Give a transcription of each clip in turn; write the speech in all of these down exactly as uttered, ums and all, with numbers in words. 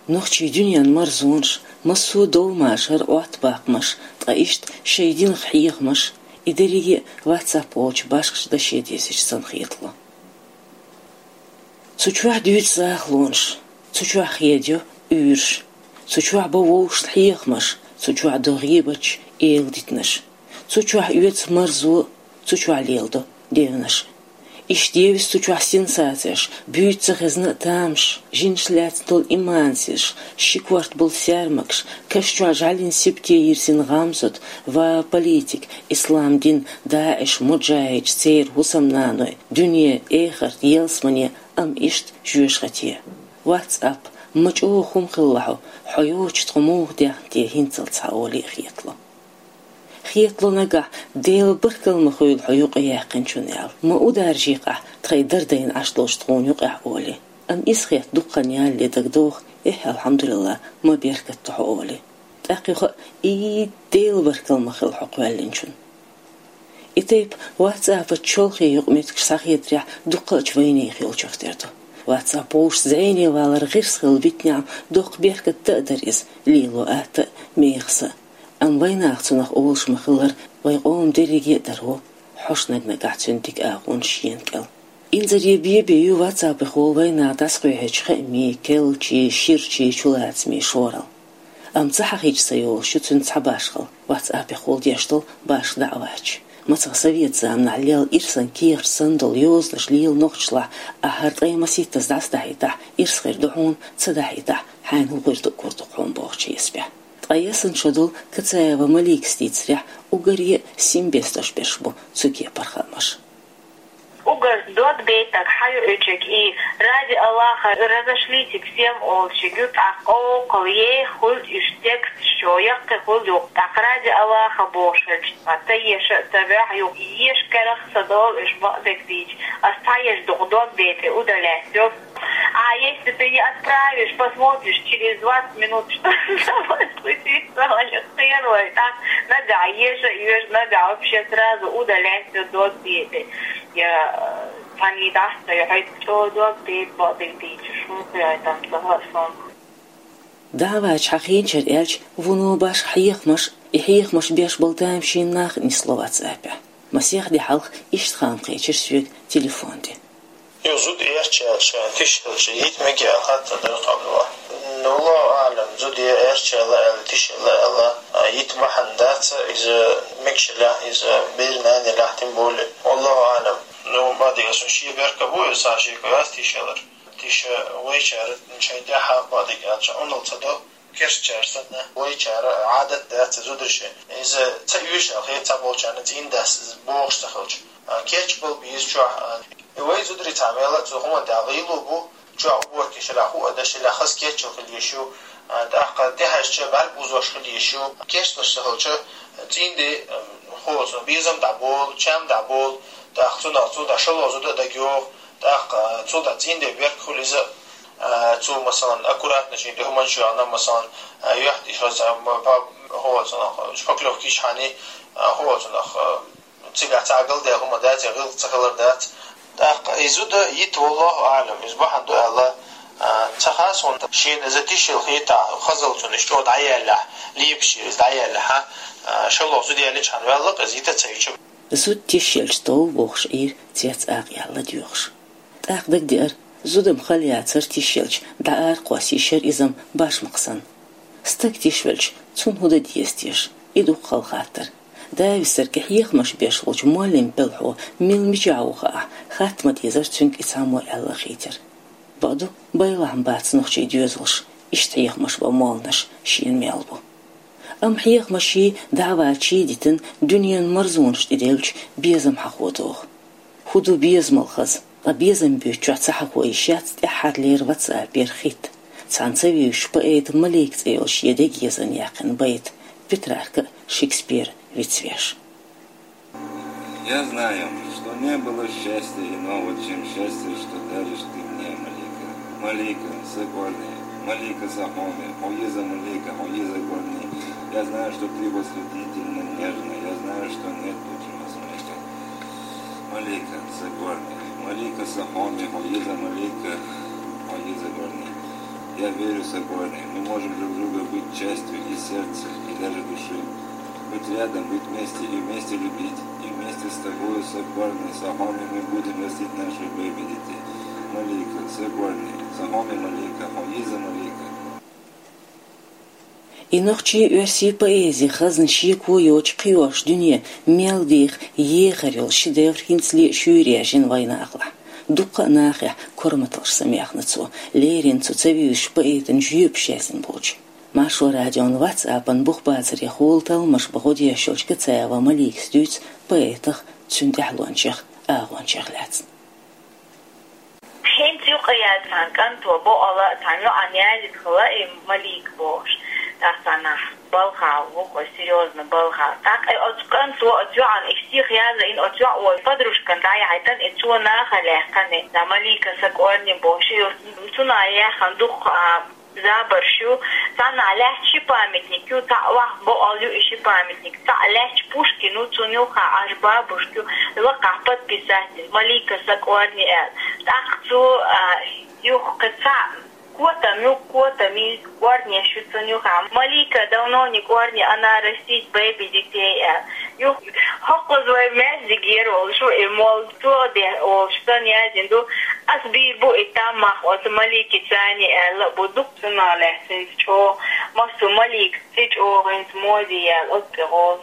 Нохчийн дуьненан марзонаш, массо а довмашар, Ӏоттабаккхамаш, ткъа иштта шоай динах хьехамаш, и дерриге а WhatsApp олучу башхачу даше дезаш санна хетало. Цу чохь дуьйцу захалонаш, цу чохь хедайо уьйраш, цу чохь бо вовшашна хьехамаш, цу чохь до гӀийбаташ, эладитанаш. Цу чохь оьцу марзо, цу чохь леладо девнаш. Иштта евза цу чохь сенсацеш, буьйцу ца хезна а тамаш, жинаш лаьцна долу имансизаш, ши корта болу саьрмагаш, каш чохь жӀаьлин сибате йирзина гӀамсат, ва политик, ислам дин, ДаӀиш, муджахӀидаш, церан хӀусамнаной, дуьне, эхарт, ялсамане, амма иштта жоьжахате. WhatsApp, ма чӀогӀа хӀума хилла хьо, хьо йоцуш тхо муха даьхна те хӀинццалц хьан олий а хетало. Хетало нагахь, Делан баркалла ма хуьлда хьо юкъаяьккхинчунна аьлла, ма ударжийкъахь тхайн дардайна Ӏаш долчу тхуна юкъехь олий. Амма иза хетта дукха хан ялале дагадогӀу, эхь, алхьамдулиллахӀ, ма беркат ду хьо олий. ТӀаккха юха а, и, Делан баркалла ма хуьлда хьо кхоьллинчунна. И тайпа WhatsApp-ан чолхе юкъаметтигаш схьахетарехь, дуккхачу вайнехан йолчух тера ду. WhatsApp вовшашца зӀене валар гӀирс хилла витинехь, доккха беркат а дара иза, лело атта а, мехаса а. Амма вайнаха цунах олуш ма-хиллара, вайн къоман дерриге а даро хьош наг-нагахь цуьнан дика агӀонаш шена кӀел. Инзаре бен-бен ю WhatsApp-ехула вайнаха дӀасакхоьхьучу хаамийн, керлачийн, ширачийн чулацамийн шоралла. Амма ца хьахийча ца йолуш ю цуьнан цхьа башхалла, WhatsApp-ехула деш долу башха даӀваташ. Мацах совет заманахь лелла ирсан кехат санна долу йозанаш лела нохчашлахь, ахь хӀара ткъе масийттаза дӀасадахьийтахь, ирс хир ду хьуна, ца дахьийтахь, хьайна хӀун хир ду, гур ду хьуна бохучу хьесапехь. Ткъа ясанчо долу Кацаева Маликас дийцарехь, уггаре а сим бесташ берш бу цу кепара хаамаш. Уггар дог бейтаг хьан ю оьшург и, ради Аллаха, разошлитесь всем олуш ю, тӀаккха къовкъал еха хуьлда уьш текст чохь, яккхий хуьлда юкъа, тӀаккха ради Аллаха бохуш хилча, ца еша а ца ваьхьа юкъа, еша карах ца долу уьш бакъдерг дийча, ас цхьа еш дукха дог бейтӀе удалять йо. А если ты не отправишь, посмотришь через двадцать минут, что с тобой случится, ваня, хер вай, тӀаккха нагахь еша а йоьшу, нагахь вообще сразу удалять йо дог бейтӀе. Я, э, цхьаьний дӀасса ю, хьайца чӀогӀа дог бейтӀа бакъдерг дийча, шун кхуьй там ца хаьа суна. ДаӀваташ хьахийначара аьлча, вуно башха хьехамаш, и хьехамаш беш болу тамашийна нах а нисло WhatsApp-ехь. Масех де хьалха иштта хаам кхечира соьга телефон тӀе. Ю, зуда эрча аьлча, тиша хилча, йита мега аьлла хаттар дара тхо. Ну, Аллаху аӀлам, зуда я эрча аьлла, аьлла, тиша аьлла, аьлла, а, йита бахьана дац, иза мегаш елахь, иза беран нана елахь, тем более. Аллаху аӀлам. Ну, бакъдерг аьлча, шен беркат бу иза, цхьа шеко яц тиша ялар. Тиша вайчара шайн тӀаьхьа, бакъдерг аьлча, Ӏуналла ца до, керстачара санна, вайчара Ӏадат дац иза зударшна. Иза ца оьшу аьлла хета цхьаболчарна, цӀийнан дас иза бохуш ца хилча. А, кечбала беза чохь, а, и вай зударий цхьа мел а цу хӀуманна тӀехь гӀийла бу, чохь уборка еш елахь, хӀуъа деш елахь, хаза кечъяла хила езаш ю, а, тӀаккха тӀехьаьжча бӀаьрг бузош хила езаш ю. Кечдеш ца хилча, цӀийнан де, а, хӀо, цунах безам дӀаболу, чам дӀаболу, тӀаккха цунах цу дӀа шало зуда а дагайогӀу, тӀаккха, а, цу дӀа цӀийнан де беркат хуьлу иза, а, цо, масалан, аккуратно шен тӀе хӀуманаш йохна, масалан, а, юьхь тӀе хаза, а, ма-, па-, хӀо, цунах, а, шпаклёвка йичхьана, а, хӀо, цунах, а, цигахь цхьа а галдаьлла хӀума дац, я гӀиллакх ца хилар дац. ТӀаккха и зуда йита, валлаху аӀлам, иза бахьана ду аьлла, а, ца хаьа суна, шена иза тиша елла хетахь, хазалла цунна иштта чӀогӀа дӀаяьллехь, лепаш иза дӀаяьллехь, а, шалло зуда яьллинчхьана ваьлла-кх иза йита ца йича. Зуда тиша елча тов бохуш Ӏийра цец акъ яьлла доьхуш. ТӀаккха дагадеара, зуда-м хала яцара тиша елча, дӀа ара кхосса йиш яра иза-м башмакх санна. Стаг тиша велча, цунна хӀун дан деза теша? И дукха хала хаттар. Да висарг, и хьехамаш беш волчу муаллим пӀелхьо мила мичахь ву хаахь, хатта ма дезара цуьнга и цхьаммо аьлла а хийтира. Бакъду, байлахь-м бац нохчийн доьзалш, иштта хьехамаш бан молланаш шена мел бу. Амма хьехамаший, даӀваташий дитина, дуьненан марзонаш тӀеделлачу безам хьахо догӀу. ХӀун ду безамал хаза, ткъа безам буьйцучохь ца хьахо йиш яц тӀаьххьарлера WhatsApp-ера хитт. Цхьана ца вевзачу поэта Малика цӀе йолу шен дега езана яьккхина байт, Петрарка а, Шекспир а вицвеш. Я знаю, что не было счастья иного, чем счастье, что даришь ты мне, Малика. Малика, сакъорни, Малика сакъорни, хьо еза Малика, хьо еза горни. Я знаю, что ты восхитительно нежна, я знаю, что нет лучшего смеха. Малика сакъорни, Малика сакъорни, хьо еза Малика, хьо еза горни. Я верю, Сокольный, мы можем друг друга быть частью и сердца, и даже души. Быть рядом, быть вместе и вместе любить, и вместе с тобою, Сокольный, сахоми мы будем растить наших бэби детей. Малика, Сокольный, сахоми Малика, хьо иза Малика. И нохчий, оьрсий поэзи хазна шеко йоцу кхиош дуьне мел деха ехар йолу шедевр хӀинцале а шуьйра яьржина вайнахалахь. Дуккха а нахехь корматалш самаьхна цо, леррина цу ца вуьйцучу поэтан жоьпаш яздина болчу. Маршо радион WhatsApp-ан бух бацаре хӀула талламаш бан гӀо деш йолчу Кацаева Маликас дуьйцу поэтах, цуьнан тӀаьхьалончех, агӀончех лаьцна. ХӀинца юкъа яьлла цхьана кӀанто боккъала а цхьана йоӀана яздина хилла и Малика бохуш. ТӀаккха цхьанахь балха ву-кх, серьёзно балха. ТӀаккха и оцу кӀанто оцу йоӀана и стих язйина, оцу йоӀа вай подружкана дӀаяхьийтина, и цо нахала яьккхина, да, Малика, Сокольный бохуш, и оцу цунах яьхна дуккха а забарш ю. Цхьаннахь лаьтташ ши памятник ю, цхьаъ вахь боккъал ю и ши памятник. Цхьаъ лаьтташ Пушкин ву, цунна юххехь Ӏаш бабушка ю, лакхахь подписатель Малика, Сокольный аьлла. ТӀаккха цо, а, юха кхин цхьаъ котам ю, котамийн корнеш ю цунна юххехь. Малика, давно не корни, она растит бэби детей аьлла. Юха хӀокхуза вай маьждигера волуш ву и молла, цо дехьа волуш санна яздина ду. Ас бийр бу и там мах оцу Маликица аьлла а бу, дукха цунах лаьцна хӀинца чӀогӀа. Массо Малика цӀе чӀогӀа хӀинца моде яьлла оцу тӀе гӀолу.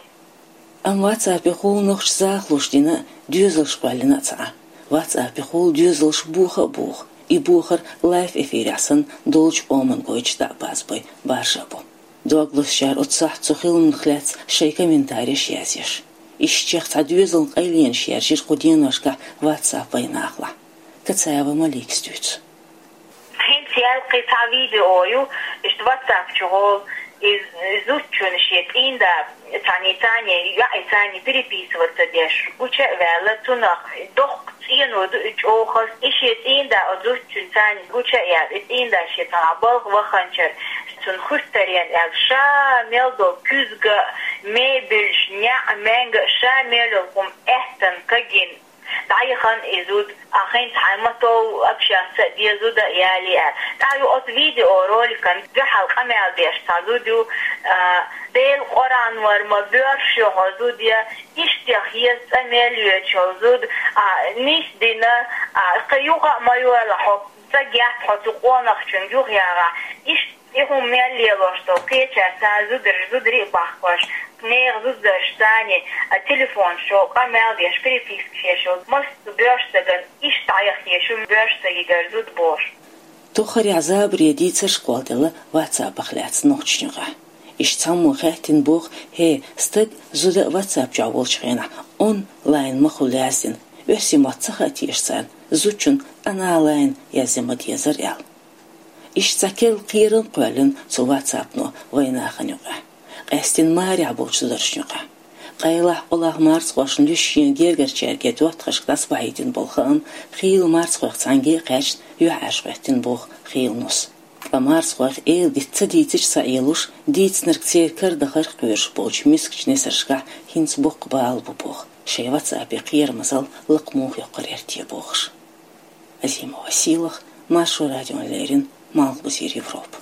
Амма WhatsApp-ехула нохчаша захалуш дина а, доьзалш кхоьллина а ца Ӏа. WhatsApp-ехула доьзалш боха а боху. И бохар лайв-эфирехь санна долчу къоман гойтуш дӀа а базбой, баржа а бо. Дог лозучара оцу сохьта цу хиламах лаьцна шайн комментареш язъеш. Ишттачех цхьа доьзалан къайленаш яьржира кху деношкахь WhatsApp вайнахалахь. Кацаева Маликас дуьйцу. ХӀинца яьлла кхин цхьа видео ю, иштта WhatsApp чу гӀолу, и зудчунна шен цӀийнда цхьаьний царний, йоӀий царний переписываться деш, гуча а ваьлла, цунах доккха цӀено ду и чӀогӀа хаза. И шен цӀийнда оцу зудчуьнан царний гуча а яьлла, и цӀийнда шен цхьанхьа балха ваханчара, цунна хуьттаренна аьлла, ша мел долу куьзга, мебельш, неӀ, маьнга, ша мел йолу хӀума аьттан кагийна дӀаяхана и зуда, а хӀинца хьайн мотов общаться а де, зуда а яле аьлла. ТӀаккха ю оцу видеороликан дуьхьал къамел деш цхьа зуда ю, а, Делан Къуръан вара ма боьрша ю хьо, зуда, я, иштех еза цӀа мел йоьдуш йолу зуда, а, нисдина, а, кхин юха а ма йойла хьо, цӀа гетта хьо цу къонахчуьнга юхаягӀахь, иштта и хӀума мел лелош долу кхечара цара зударий, зударий а бахкош, нехан зударшца царний, а, телефонаш чу къамел деш, перепискаш еш йолу массо боьрша стагана иштта дӀаяхъеш ю боьрша стагигара зуда бохуш. Тоххарехь забаре дийцарш кхолладелла WhatsApp-ах лаьцна нохчашна юкъахь. Иштта цхьаммо хаьттина боху: «ХӀей, стаг, зуда WhatsApp чохь волчу хенахь онлайн ма хуьлу яздина, оьрсийн мотт ца хаьа теша царна, зудчунна аналайн язъян ма дезара», — аьлла. Иштта цхьа керла кхерам кхоьллина цу WhatsApp-но вайнахана юкъахь, къаьстина марехь болчу зударшна юкъахь. Къайлах, олахь марзхошна луьйш шена гергарчаьрга доттагӀашка дӀасабахьийтина болу хаам хийла марзхойх цхьаьнге а кхаьчна, юьхьӀаьржа хӀоьттина боху хийла нус. Ткъа марзхойх эладита ца дийцича ца Ӏелуш, дийцинарг церан кара дахарх кхоьруш болчу мискачу несаршкахь хӀинца боккха бала бу боху, шайн WhatsApp-е кхерамазалла лакха муха йоккхур яра те бохуш. Азимова Сийлаха, Маршо радиона леррина, Малхбузера Европа.